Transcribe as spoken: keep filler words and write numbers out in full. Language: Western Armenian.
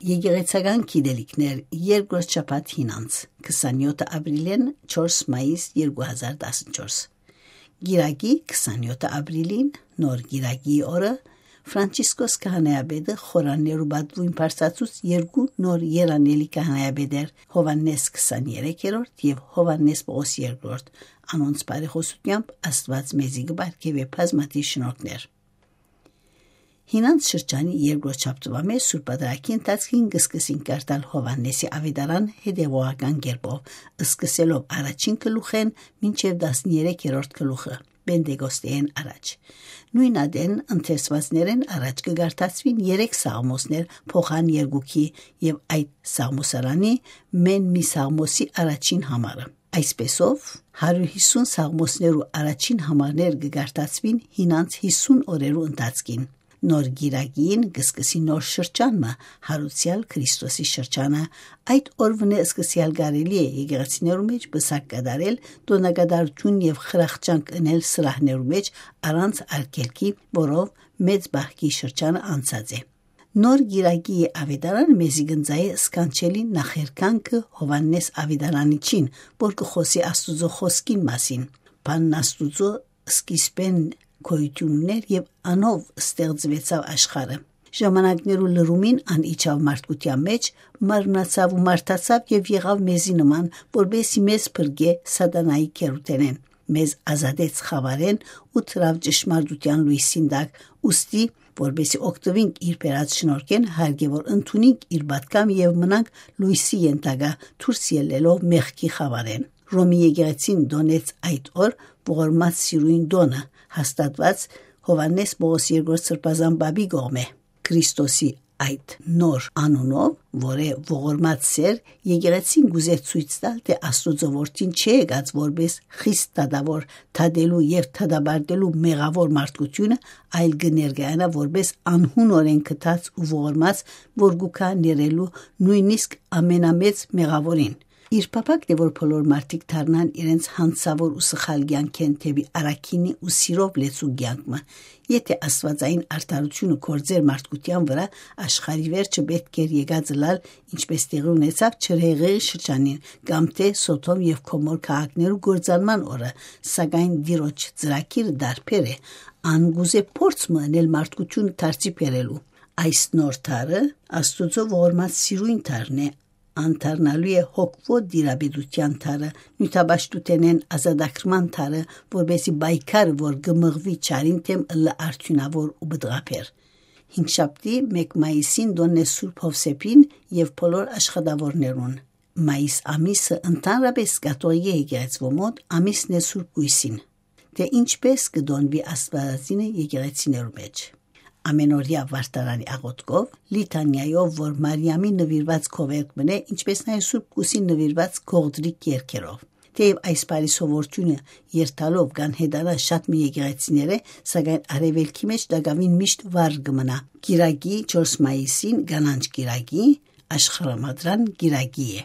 Եկեղեցական գիտելիքներ, երկրորդ շաբաթ հինանց, քսանեօթ ապրիլէն չորս մայիս երկու հազար տասնչորս։ Կիրակի, քսանեօթ ապրիլին, նոր կիրակի օրը, Ֆրանցիսկոս քահանայապետը խորաններու պատուին բարձրացուց երկու նոր երանելի քահանայապետեր՝ Յովհաննէս քսաներեքերորդ եւ Յովհաննէս Պողոս երկրորդ։ Անոնց բարեխօսութեամբ Աստուած մեզի կը պարգեւէ բազմաթիւ շնորհքներ։ Հինանց շրջանի երկրորդ շաբթուայ մէջ Սուրբ Պատարագի ընթացքին կը սկսին կարդալ Յովհաննէսի աւետարան հետեւողական կերպով, սկսելով առաջին գլուխէն մինչեւ տասներեքերորդ գլուխը, Պենտեկոստէն առաջ։ Նոյն ատեն ընթերցուածներէն առաջ կը կարդացուին երեք սաղմոսներ փոխան երկուքի եւ այդ սաղմոսարանի մէն մի սաղմոսի առաջին համարը։ Այսպեսով, հարիւր յիսուն սաղմոսներու առաջին համարներ կը կարդացուին հինանց յիսուն օրերու ընթացքին։ Նոր կիրակին կը սկսի նոր շրջան մը, հարուցեալ Քրիստոսի շրջանը։ Այդ օրուընէ սկսեալ կարելի է եկեղեցիներու մէջ պսակ կատարել, տօնակատարութիւն եւ խրախճանք ընել սրահներու մէջ առանց արգելքի, որով մեծ բահքի շրջանը անցած է։ Նոր կիրակի աւետարան մեզի կ'ընծայէ սքանչելի նախերկանքը Յովհաննէս աւետարանիչին, որ կը խօսի Աստուծոյ խօսքին մասին։ Բանն Աստուծոյ սկիզբէն գոյութիւն ունէր եւ անով ստեղծուեցաւ աշխարհը։ Ժամանակներու լրումին ան իջաւ մարդկութեան մէջ, մարմնացաւ ու մարդացաւ եւ եղաւ մեզի նման, որպէս զի մեզ փրկէ Սատանայի գերութենէն, մեզ ազատեց խաւարէն ու դրաւ ճշմարտութեան լոյսին տակ, ուստի, որպէս զի օգտուինք իր բերած շնորհքէն, հարգեւոր ընդունինք իր պատգամ եւ մնանք լոյսի ենթակայ, դուրս ելլելով մեղքի խաւարէն։ Ռոմի եկեղեցին տոնեց այդ օր ողորմած սիրոյն տոնը, հաստատուած Յովհաննէս Պողոս երկրորդ Սրբազան Պապի կողմէ։ Քրիստոսի այդ նոր անունով, որ է ողորմած սեր, եկեղեցին կ'ուզէ ցոյց տալ, թէ Աստուծոյ որդին չէ եկած որպէս խիստ դատաւոր դատելու եւ դատապարտելու մեղաւոր մարդկութիւնը, այլ կը ներկայանայ որպէս անհունօրէն գթած ու ողորմած, որ կու գայ ներելու նոյնիսկ ամենամեծ մեղաւորին։ Իր փափակն է, որ բոլոր մարդիկ դառնան իրենց յանցաւոր ու սխալ կեանքէն դէպի առաքինի ու սիրով լեցուն կեանք մը։ Եթէ աստուածային արդարութիւնը գործէր մարդկութեան վրայ, աշխարհի վերջը պէտք էր եկած ըլլալ, ինչպէս տեղի ունեցաւ Չրհեղեղի շրջանին կամ թէ Սոդոմ եւ Գոմոր քաղաքներու կործանման օրը, սակայն Տիրոջ ծրագիրը տարբեր է, ան կ'ուզէ փորձ մը ընել մարդկութիւնը դարձի բերելու։ Այս նոր դարը Աստուծոյ ողորմած սիրոյն դարն է, անդառնալու է հոգւոյ տիրապետութեան դարը, նիւթապաշտութենէն ազատագրման դարը, որպէս զի պայքարը, որ կը մղուի չարին դէմ, ըլլայ արդիւնաւոր ու պտղաբեր։ Հինգշաբթի, մէկ մայիսին, տօնն է Սուրբ Յովսէփին եւ բոլոր աշխատաւորներուն։ Մայիս ամիսը ընդհանրապէս կաթողիկէ եկեղեցւոյ մօտ ամիսն է Սուրբ Կոյսին, թէ ինչպէս կը տոնուի աստուածածինը եկեղեցիներու մէջ։ Ամենօրեայ վարդարանի աղօթքով, լիթանիայով, որ Մարիամի նուիրուած քովերտ մըն է, ինչպէս նաեւ Սուրբ Կուսին նուիրուած գողտրիկ երգերով։ Թէեւ այս բարի սովորութիւնը երթալով կ'անհետանայ շատ մը եկեղեցիներէ, սակայն արեւելքի մէջ տակաւին միշտ վառ կը մնայ։ Կիրակի, չորս մայիսին, կանանչ կիրակի, աշխարհամադրան կիրակի է։